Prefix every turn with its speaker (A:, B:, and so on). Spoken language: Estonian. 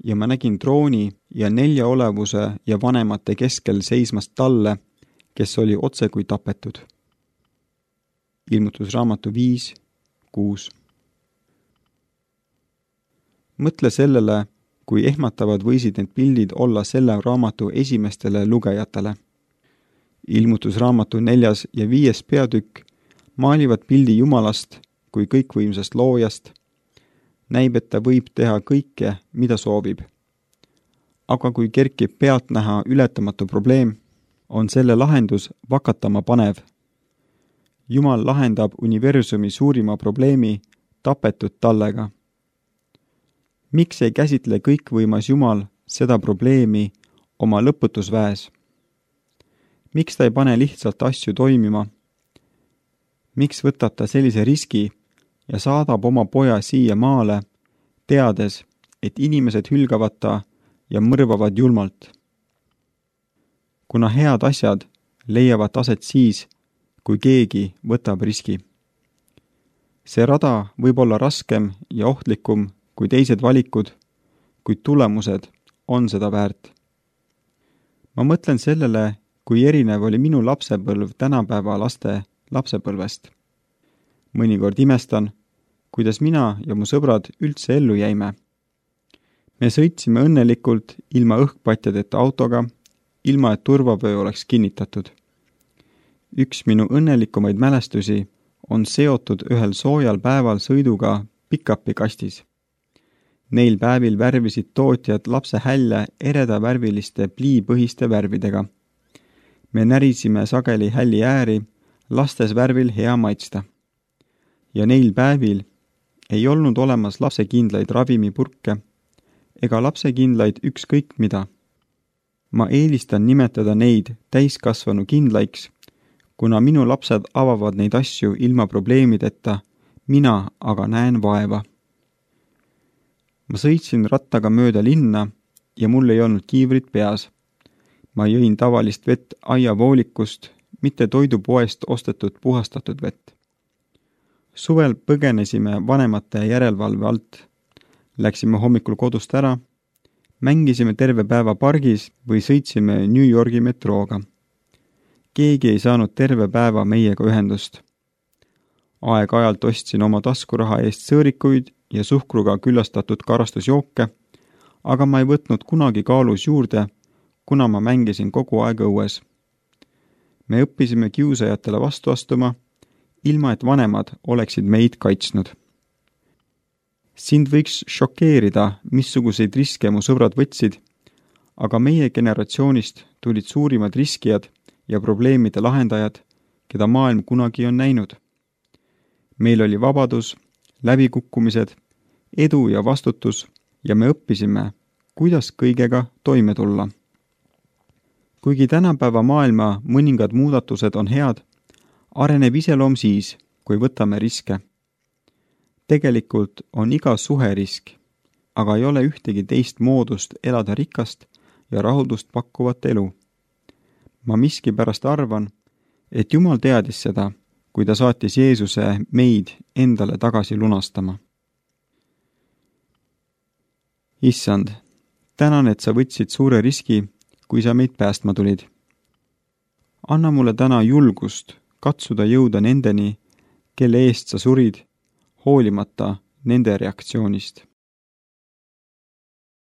A: ja ma nägin trooni ja 4 olevuse ja vanemate keskel seismast talle, kes oli otse kui tapetud. Ilmutusraamatu 5:6. Mõtle sellele, kui ehmatavad võisid need pildid olla selle raamatu esimestele lugejatele. Ilmutusraamatu 4. ja 5. peatükk maalivad pildi Jumalast kui kõikvõimsast loojast. Näib, et ta võib teha kõike, mida soovib. Aga kui kerkib pealtnäha ületamatu probleem, on selle lahendus vakatama panev. Jumal lahendab universumi suurima probleemi tapetud tallega. Miks ei käsitle kõikvõimas Jumal seda probleemi oma lõputusväes? Miks ta ei pane lihtsalt asju toimima? Miks võtab ta sellise riski ja saadab oma poja siia maale, teades, et inimesed hülgavad ta ja mõrvavad julmalt? Kuna head asjad leiavad aset siis, kui keegi võtab riski. See rada võib olla raskem ja ohtlikum kui teised valikud, kuid tulemused on seda väärt. Ma mõtlen sellele, kui erinev oli minu lapsepõlv tänapäeva laste lapsepõlvest. Mõnikord imestan, kuidas mina ja mu sõbrad üldse ellu jäime. Me sõitsime õnnelikult ilma õhkpatjadeta autoga, ilma et turvavöö oleks kinnitatud. Üks minu õnnelikumaid mälestusi on seotud ühel soojal päeval sõiduga pick-upi kastis. Neil päevil värvisid tootjad lapse hälje eredavärviliste pliipõhiste värvidega. Me närisime sageli hälli ääri, lastes värvil hea maitsta. Ja neil päevil ei olnud olemas lapsekindlaid ravimipurke ega lapsekindlaid ükskõik mida. Ma eelistan nimetada neid täiskasvanu kindlaiks, kuna minu lapsed avavad neid asju ilma probleemideta, mina aga näen vaeva. Ma sõitsin rattaga mööda linna ja mul ei olnud kiivrit peas. Ma jõin tavalist vett aiavoolikust, mitte toidupoest ostetud puhastatud vett. Suvel põgenesime vanemate järelevalve alt. Läksime hommikul kodust ära, mängisime terve päeva pargis või sõitsime New Yorgi metrooga. Keegi ei saanud terve päeva meiega ühendust. Aeg-ajalt ostsin oma taskuraha eest sõõrikuid ja suhkruga küllastatud karastusjooke, aga ma ei võtnud kunagi kaalus juurde, kuna ma mängisin kogu aeg õues. Me õppisime kiusajatele vastu astuma, ilma et vanemad oleksid meid kaitsnud. Sind võiks šokeerida, missuguseid riske mu sõbrad võtsid, aga meie generatsioonist tulid suurimad riskijad ja probleemide lahendajad, keda maailm kunagi on näinud. Meil oli vabadus, läbikukkumised, edu ja vastutus ja me õppisime, kuidas kõigega toime tulla. Kuigi tänapäeva maailma mõningad muudatused on head, areneb iseloom siis, kui võtame riske. Tegelikult on iga suhe risk, aga ei ole ühtegi teist moodust elada rikast ja rahuldust pakkuvat elu. Ma miskipärast arvan, et Jumal teadis seda, kui ta saatis Jeesuse meid endale tagasi lunastama. Issand, tänan, et sa võtsid suure riski, kui sa meid päästma tulid. Anna mulle täna julgust katsuda jõuda nendeni, kelle eest sa surid, hoolimata nende reaktsioonist.